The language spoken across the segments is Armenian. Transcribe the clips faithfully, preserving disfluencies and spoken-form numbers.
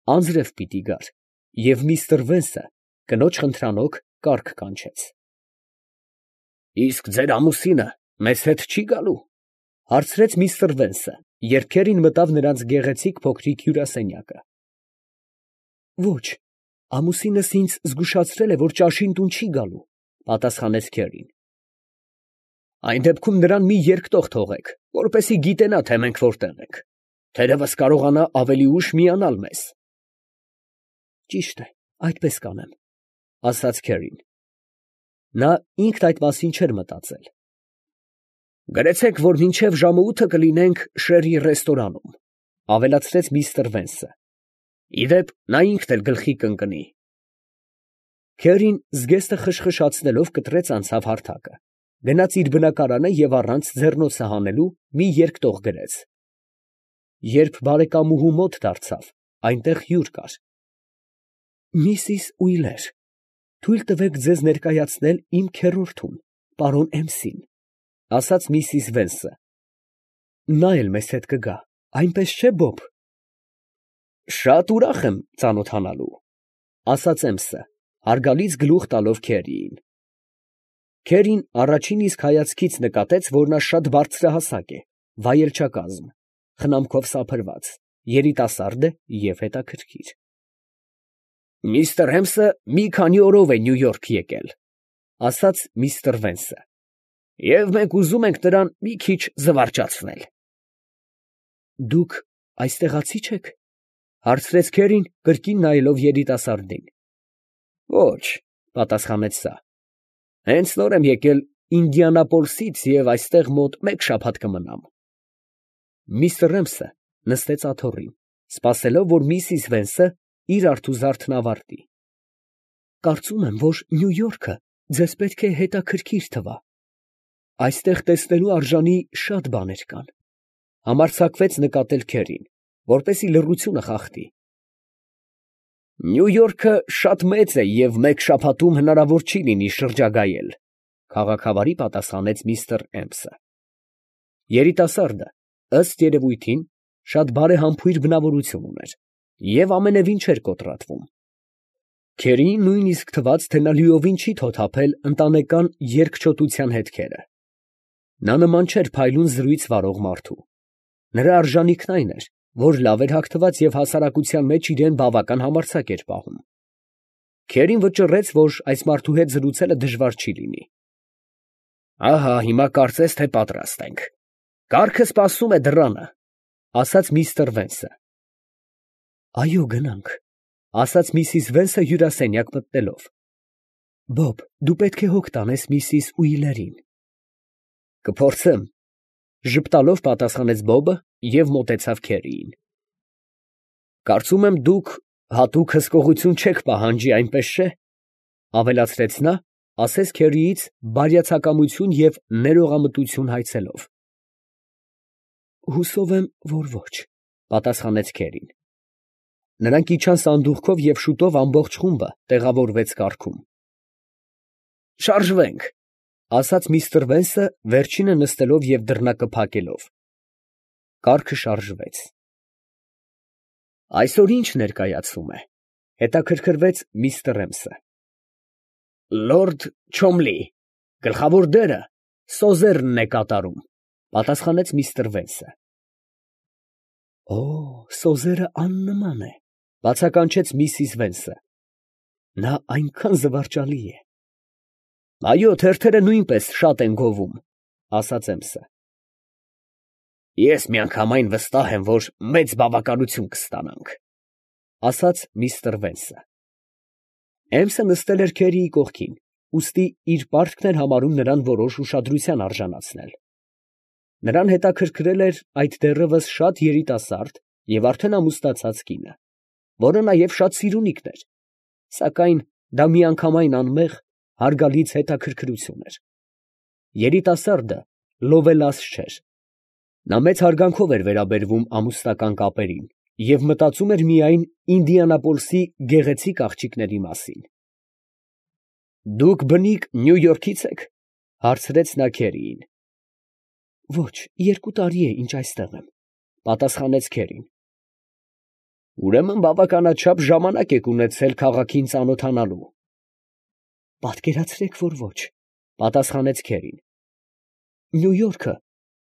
Անձրև պիտի գար, և միստր Վենսը կնոջ խնդրանոք կառք կանչեց։ ֊ Իսկ ձեր ամուսինը մեզ հետ չի գալու, ֊ հարցրեց միստր Վենսը, երբ քերին մտավ նրանց գեղեցիկ փոքրիկ հյուրասենյակը։ ֊ Ոչ, ամուսինս ինձ զգուշացրել է, որ ճաշին տուն չի գալու, ֊ պատասխանեց քերին։ ֊ Այն դեպքում նրան մի երկտող թողեք, որպեսզի գիտենա, թե մենք որտեղ ենք. թերևս կարողանա ավելի ուշ միանալ մեզ։ ֊ Ճիշտ է, այդպես կանեմ, ֊ ասաց քերին. նա ինքն այդ մասին չէր մտածել։ ֊ Գրեցեք, որ մինչև ժամը ութը կլինենք Շերի ռեստորանում, ֊ ավելացրեց միստր Վենսը։ ֊ Ի դեպ, նա ինքն էլ գլխի կընկնի։ Քերին զգեստը խշխշացնելով կտրեց անցավ հարթակը, գնաց իր բնակարանը և առանց ձեռնոցը հանելու մի երկտող գրեց։ Երբ բարեկամուհու մոտ դարձավ, այնտեղ հյուր կար։ ֊ Միսիս Ուիլեր, թույլ տվեք ձեզ ներկայացնել իմ քեռորդուն, պարոն Էմսին, ֊ ասաց միսիս Վենսը։ ֊ Նա էլ մեզ հետ կգա, այնպես չէ՞, Բոբ։ ֊ Շատ ուրախ եմ ծանոթանալու, ֊ ասաց Էմսը, հարգալից գլուխ տալով քերիին։ Քերին առաջին իսկ հայացքից նկատեց, որ նա շատ բարձրահասակ է, վայելչակազմ, խնամքով սափրված, երիտասարդ է և հետաքրքիր։ ֊ Միստր Էմսը մի քանի օրով է Նյու Յորք եկել, ֊ ասաց միստր Վենսը, ֊ և մենք ուզում ենք նրան մի քիչ զվարճացնել։ ֊ Դուք այստեղացի չե՞ք, ֊ հարցրեց քերին, կրկին նայելով երիտասարդին։ ֊ Ոչ, ֊ պատասխանեց նա, ֊ հենց նոր եմ եկել Ինդիանապոլսից և այստեղ մոտ մեկ շաբաթ կմնամ։ Միստր Էմսը նստեց աթոռին, սպասելով, որ միսիս Վենսը իր արթուզարդն ավարտի։ ֊ Կարծում եմ, որ Նյու Յորքը ձեզ պետք է հետաքրքիր թվա. այստեղ տեսնելու արժանի շատ բաներ կան, ֊ համարձակվեց նկատել քերին, որպեսզի լռությունը խախտի։ ֊ Նյու Յորքը շատ մեծ է և մեկ շաբաթում հնարավոր չի լինի շրջագայել, ֊ քաղաքավարի պատասխանեց միստր Էմսը։ Երիտասարդը, ըստ երևույթին, շատ բարեհամբույր բնավորություն ուներ և ամենևին չէր կոտրատվում։ Քերիին նույնիսկ թվաց, թե նա լիովին չի թոթափել ընտանեկան երկչոտության հետքերը։ Նա նման չէր փայլուն զրույց վարող մարդու։ Նրա արժանիքն այն էր, որ լավ էր հագնված և հասարակության մեջ իրան բավական համարձակ էր պահում։ Քերին վճռեց, որ այս մարդու հետ զրուցելը դժվար չի լինի։ ֊ Ահա հիմա կարծես թե պատրաստ ենք. կառքը սպասում է դռանը, ֊ ասաց միստր Վենսը։ ֊ Այո, գնանք, ֊ ասաց միսիս Վենսը հյուրասենյակ մտնելով։ ֊ Բոբ, դու պետք է հոգ տանես միսիս Ուիլերին։ ֊ Կփորձեմ, ֊ ժպտալով պատասխանեց Բոբը և մոտեցավ քերիին։ ֊ Կարծում եմ, դուք հատուկ հսկողություն չեք պահանջի, այնպես չէ, ֊ ավելացրեց նա, ասես քերիից բարյացակամություն և ներողամտություն հայցելով։ ֊ Հուսով եմ, որ ոչ, ֊ պատասխանեց քերին։ Նրանք իջան սանդուղքով և շուտով ամբողջ խումբը տեղավորվեց կառքում։ ֊ Շարժվենք, ֊ ասաց միստր Վենսը, վերջինը նստելով և դռնակը փակելով։ Կառքը շարժվեց։ ֊ Այսօր ի՞նչ ներկայացվում է, ֊ հետաքրքրվեց միստր Էմսը։ ֊ Լորդ Չոմլի, գլխավոր դերը Սոզերնն է կատարում, ֊ պատասխանեց միստր Վենսը։ ֊ Օ, Սոզերը աննման է, ֊ բացականչեց միսիս Վենսը։ ֊ Նա այնքան զվարճալի է։ ֊ Այո, թերթերը նույնպես շատ են գովում, ֊ ասաց Էմսը։ ֊ Ես միանգամայն վստահ եմ, որ մեծ բավականություն կստանանք, ֊ ասաց միստր Վենսը։ Էմսը նստել էր քերիի կողքին, ուստի իր պարտքն էր համարում նրան որոշ ուշադրության արժանացնել։ Նրան հետաքրքրել էր այդ դեռևս շատ երիտասարդ և արդեն ամուսնացած կինը, որը նաև շատ սիրունիկն էր, սակայն դա միանգամայն անմեղ, հարգալից հետաքրքրություն էր։ Երիտասարդը լովելաս չէր։ Նա մեծ հարգանքով էր վերաբերվում ամուսնական կապերին և մտածում էր միայն Ինդիանապոլսի գեղեցիկ աղջիկների մասին։ ֊ Դուք բնիկ Նյու Յորքից եք, ֊ հարցրեց նա քերիին։ ֊ Ոչ, երկու տարի է, ինչ այստեղ եմ, ֊ պատասխանեց քերին։ ֊ Ուրեմն բավականաչափ ժամանակ եք ունեցել քաղաքին ծանոթանալու։ Պատկերացրեք, որ ոչ, պատասխանեց Քերին։ Նյու Յորքը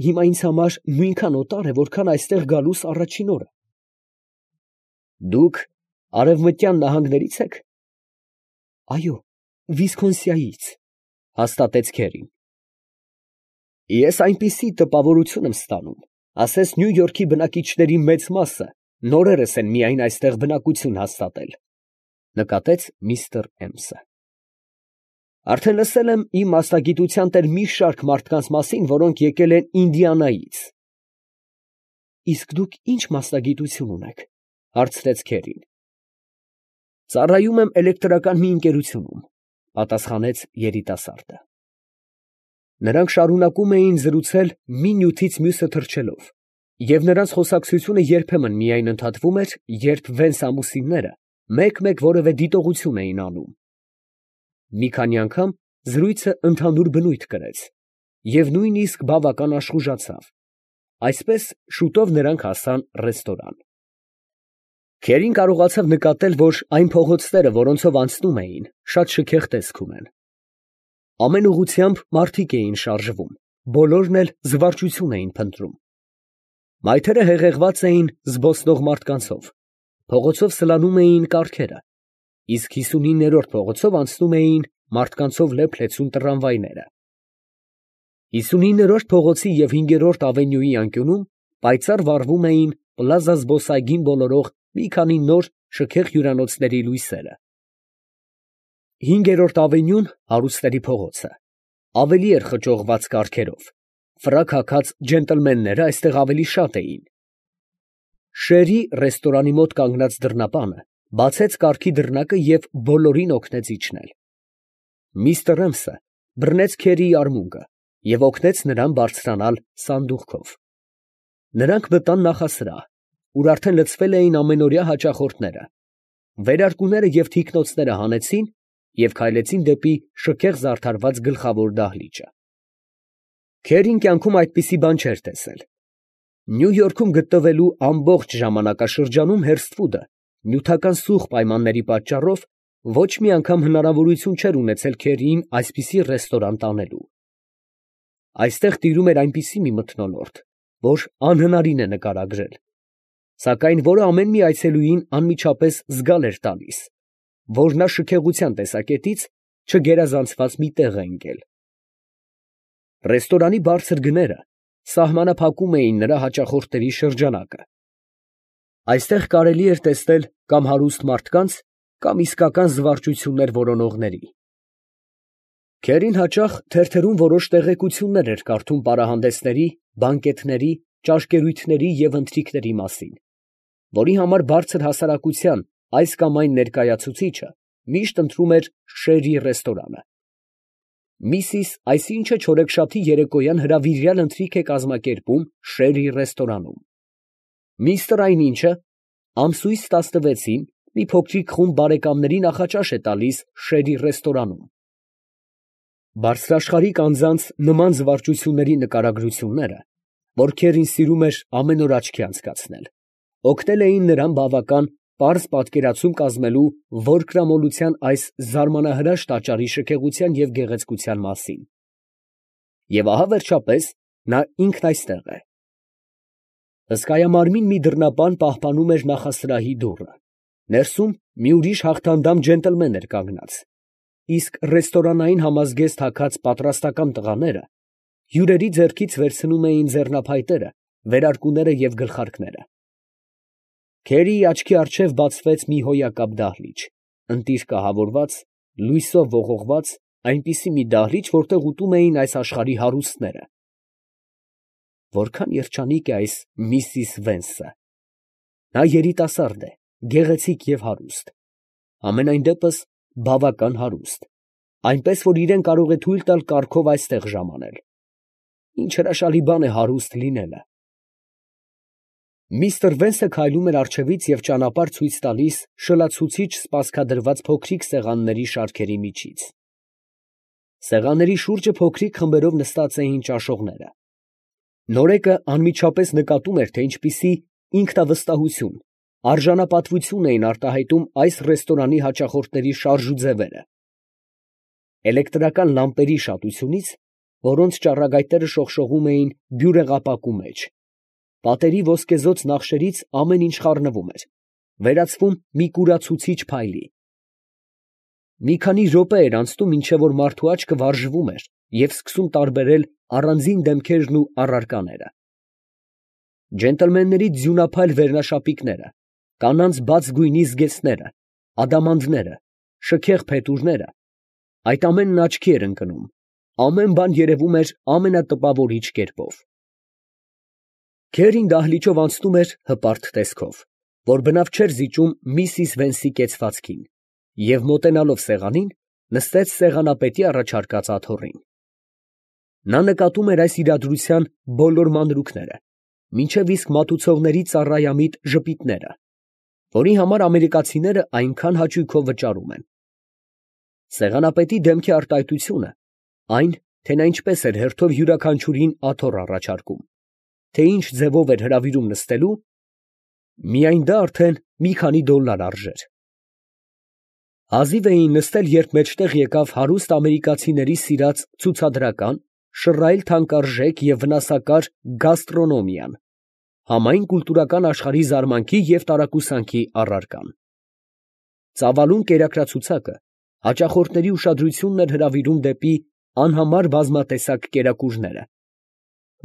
հիմա ինձ համար նույնքան օտար է, որքան այստեղ գալուս առաջին օրը։ Դուք արևմտյան նահանգների՞ց եք։ Այո, Վիսկոնսինից, հաստատեց Քերին։ Ես այնպիսի տպավորություն եմ ստանում, ասես Նյու Յորքի բնակիչների մեծ մասը նորերս են միայն այստեղ բնակություն հաստատել, նկատեց միստր Էմսը։ Արդեն լսել եմ իմ մասնագիտության տեր մի շարք մարդկանց մասին, որոնք եկել են Ինդիանայից։ Իսկ դուք ի՞նչ մասնագիտություն ունեք, հարցրեց Քերին։ Ծառայում եմ էլեկտրական մի ընկերությունում, պատասխանեց երիտասարդը։ Նրանք շարունակում էին զրուցել մի նյութից մյուսը թռչելով, և նրանց խոսակցությունը երբեմն միայն ընդհատվում էր, երբ Վենս ամուսինները մեկ֊մեկ որևէ դիտողություն էին անում։ Մի քանի անգամ զրույցը ընդհանուր բնույթ կրեց և նույնիսկ բավական աշխուժացավ։ Այսպես շուտով նրանք հասան ռեստորան։ Քերին կարողացավ նկատել, որ այն փողոցները, որոնցով անցնում էին, շատ շքեղ տեսք ունեն։ Ամեն ուղղությամբ մարդիկ էին շարժվում, բոլորն էլ զվարճություն էին փնտրում։ Մայթերը հեղեղված էին զբոսնող մարդկանցով, փողոցով սլանում էին կառքերը, իսկ հիսունիններորդ փողոցով անցնում էին մարդկանցով լեփ-լեցուն տրամվայները։ Հիսունիններորդ փողոցի և հինգերորդ ավենյուի անկյունում պայծառ վառվում էին Պլազա զբոսայգին բոլորող մի քանի նոր շքեղ հյուրանոցների լույսերը։ Հինգերորդ ավենյուն, հարուստների փողոցը, ավելի էր խճողված կառքերով, ֆրակ հագած ջենտլմենները այստեղ ավելի շատ էին։ Շերի ռեստորանի մոտ կանգնած դռնապանը բացեց կառքի դռնակը և բոլորին օգնեց իջնել։ Միստր Էմսը բռնեց Քերիի արմունկը և օգնեց նրան բարձրանալ սանդուղքով։ Նրանք մտան նախասրահ, ուր արդեն լցվել էին ամենօրյա հաճախորդները, վերարկուները և թիկնոցները հանեցին և քայլեցին դեպի շքեղ զարդարված գլխավոր դահլիճը։ Քերին կյանքում այդպիսի բան չէր տեսել։ Նյու Յորքում գտնվելու ամբողջ ժամանակաշրջանում Հերսթվուդը նյութական սուղ պայմանների պատճառով ոչ մի անգամ հնարավորություն չէր ունեցել Քերիին այսպիսի ռեստորան տանելու։ Այստեղ տիրում էր այնպիսի մի մթնոլորտ, որ անհնարին է նկարագրել, սակայն որը ամեն մի այցելուին անմիջապես զգալ էր տալիս, որ նա շքեղության տեսակետից չգերազանցված մի տեղ է ընկել։ Ռեստորանի բարձր գները սահմանափակում էին նրա հաճախորդների շրջանակը։ Այստեղ կարելի էր տեսնել կամ հարուստ մարդկանց, կամ իսկական զվարճություններ որոնողների։ Քերին հաճախ թերթերում որոշ տեղեկություններ էր կարդում պարահանդեսների, բանկետների, ճաշկերույթների և ընթրիքների մասին, որի համար բարձր հասարակության այս կամ այն ներկայացուցիչը միշտ ընտրում էր Շերի ռեստորանը։ Միսիս այսինչը չորեքշաբթի երեկոյան հրավիրյալ ընթրիք է կազմակերպում Շերի ռեստորանում։ Միստրը այնինչը ամսույս տասնվեցին մի փոքրիկ խումբ բարեկամների նախաճաշ է տալիս Շերի ռեստորանում։ Բարձրաշխարհիկ անձանց նման զվարճությունների նկարագրությունները, որ Քերին սիրում էր ամեն օր աչքի անցկացնել, օգնել էին նրան բավական պարզ պատկերացում կազմելու որկրամոլության այս զարմանահրաշ տաճարի շքեղության և գեղեցկության մասին։ Եվ ահա վերջապես նա ինքն այստեղ է։ Հսկայամարմին մի դռնապան պահպանում էր նախասրահի դուռը, ներսում մի ուրիշ հաղթանդամ ջենտլմեն էր կանգնած, իսկ ռեստորանային համազգեստ հագած պատրաստակամ տղաները հյուրերի ձեռքից վերցնում էին ձեռնափայտերը, վերարկուները և գլխարկները։ Քերիի աչքի առջև բացվեց մի հոյակապ դահլիճ, ընտիր կահավորված, լույսով ողողված, այնպիսի մի դահլիճ, որտեղ ուտում էին այս աշխարհի հարուստները։ Որքան երջանիկ է այս միսիս Վենսը։ Նա երիտասարդ է, գեղեցիկ և հարուստ, համենայն դեպս բավական հարուստ, այնպես որ իրեն կարող է թույլ տալ կառքով այստեղ ժամանել։ Ինչ հրաշալի բան է հարուստ լինելը։ Միստր Վենսը քայլում էր առջևից և ճանապարհ ցույց տալիս շլացուցիչ սպասքադրված փոքրիկ սեղանների շարքերի միջից։ Սեղանների շուրջը փոքրիկ խմբերով նստած էին ճաշողները։ Նորեկը անմիջապես նկատում էր, թե ինչպիսի ինքնավստահություն, արժանապատվություն էին արտահայտում այս ռեստորանի հաճախորդների շարժ ու ձևերը։ Էլեկտրական լամպերի շատությունից, որոնց ճառագայթները շողշողում էին բյուրեղապակու մեջ, պատերի ոսկեզօծ նախշերից ամեն ինչ խառնվում էր, վերածվում մի կուրացուցիչ փայլի։ Մի քանի րոպե էր անցնում, մինչև որ մարդու աչքը վարժվում էր և սկսում տարբերել առանձին դեմքերն ու առարկաները. ջենտլմենների ձյունափայլ վերնաշապիկները, կանանց բաց գույնի զգեստները, ադամանդները, շքեղ փետուրները, այդ ամենն աչքի էր ընկնում, ամեն բան երևում էր ամենատպավորիչ կերպով։ Քերին դահլիճով անցնում էր հպարտ տեսքով, որ բնավ չէր զիջում միսիս Վենսի կեցվածքին, և մոտենալով սեղանին, նստեց սեղանապետի առաջարկած աթոռին։ Նա նկատում էր այս իրադրության բոլոր մանրուքները, մինչև իսկ մատուցողների ծառայամիտ ժպիտները, որի համար ամերիկացիները այնքան հաճույքով վճարում են։ Սեղանապետի դեմքի արտահայտությունը, այն, թե նա ինչպես էր հերթով յուրաքանչյուրին աթոռ առաջարկում, թե ինչ ձևով էր հրավիրում նստելու, միայն դա արդեն մի քանի դոլլար արժեր։ Հազիվ էին նստել, երբ մեջտեղ եկավ հարուստ ամերիկացիների սիրած ցուցադրական, շռայլ թանկարժեք և վնասակար գաստրոնոմիան, համայն կուլտուրական աշխարհի զարմանքի և տարակուսանքի առարկան։ Ծավալուն կերակրացուցակը հաճախորդների ուշադրությունն էր հրավիրում դեպի անհամար բազմատեսակ կերակուրները,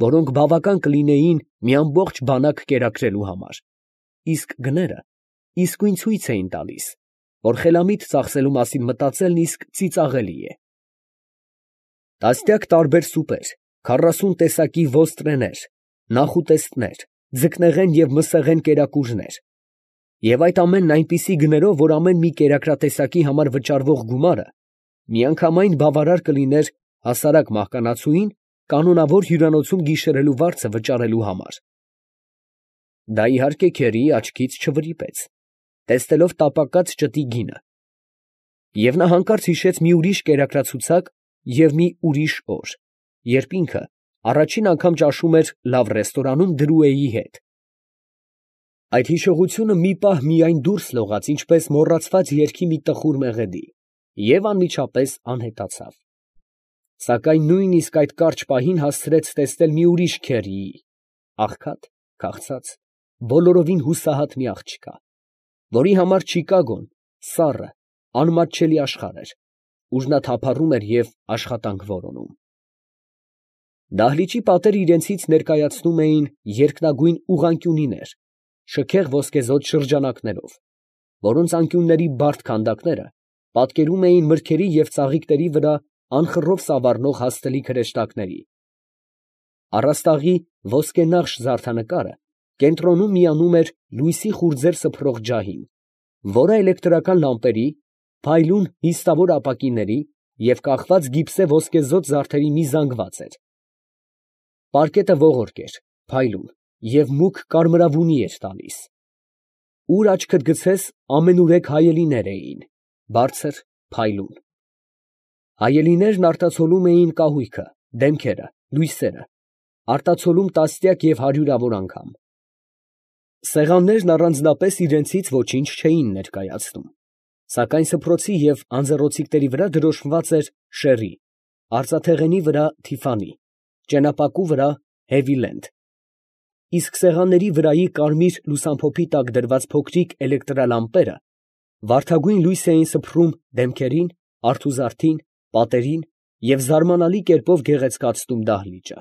որոնք բավական կլինեին մի ամբողջ բանակ կերակրելու համար, իսկ գները իսկույն ցույց էին տալիս, որ խելամիտ ծախսելու մասին մտածելն իսկ ծիծաղելի է։ Տասնյակ տարբեր սուպեր, քառասուն տեսակի ոստրեներ, նախուտեստներ, ձկնեղեն և մսեղեն կերակուրներ, և այդ ամենն այնպիսի գներով, որ ամեն մի կերակրատեսակի համար վճարվող գումարը միանգամայն բավարար կլիներ հասարակ մահկանացուին կանոնավոր հյուրանոցում գիշերելու վարձը վճարելու համար։ Դա իհարկե Քերիի աչքից չվրիպեց, տեսնելով տապակած ճտի գինը, և նա հանկարծ հիշեց մի ուրիշ կերակրացուցակ և մի ուրիշ օր, երբ ինքը առաջին անգամ ճաշում էր լավ ռեստորանում Դրուեի հետ։ Այդ հիշողությունը մի պահ միայն դուրս լողաց, ինչպես մոռացված երգի մի տխուր մեղեդի, և անմիջապես անհետացավ։ Սակայն նույնիսկ այդ կարճ պահին հասցրեց տեսնել մի ուրիշ Քերիի, աղքատ, քաղցած, բոլորովին հուսահատ մի աղջկա, որի համար Չիկագոն սառը, անմատչելի աշխարհ էր, ուր նա թափառում էր և աշխատանք որոնում։ Դահլիճի պատերը իրենցից ներկայացնում էին երկնագույն ուղղանկյունիներ, շքեղ ոսկեզօծ շրջանակներով, որոնց անկյունների բարդ քանդակները պատկերում էին մրգերի և ծաղիկների վրա անխռով սավառնող հաստլիկ հրեշտակների։ Առաստաղի ոսկենախշ զարդանկարը կենտրոնում միանում էր լույսի խուրձեր սփռող ջահին, որը էլեկտրական լամպերի, փայլուն նիստավոր ապակիների և կախված գիպսե ոսկեզօծ զարդերի մի զանգված էր։ Պարկետը ողորկ էր, փայլուն և մուգ կարմրավունի էր տալիս։ Ուր աչքդ գցես, ամենուրեք հայելիներ էին, բարձր, փայլուն։ Հայելիներն արտացոլում էին կահույքը, դեմքերը, լույսերը, արտացոլում տասնյակ և հարյուրավոր անգամ։ Սեղաններն առանձնապես իրենցից ոչինչ չէին ներկայացնում, սակայն սփռոցի և անձեռնոցիկների վրա դրոշմված էր շեռի, արծաթեղենի վրա Թիֆանի, ճենապակու վրա Հեվիլենդ, իսկ սեղանների վրայի կարմիր լուսամփոփի տակ դրված փոքրիկ էլեկտրալամպերը վարդագույն լույս էին սփռում դեմքերին, արթուզարդին, պատերին և զարմանալի կերպով գեղեցկացնում դահլիճը։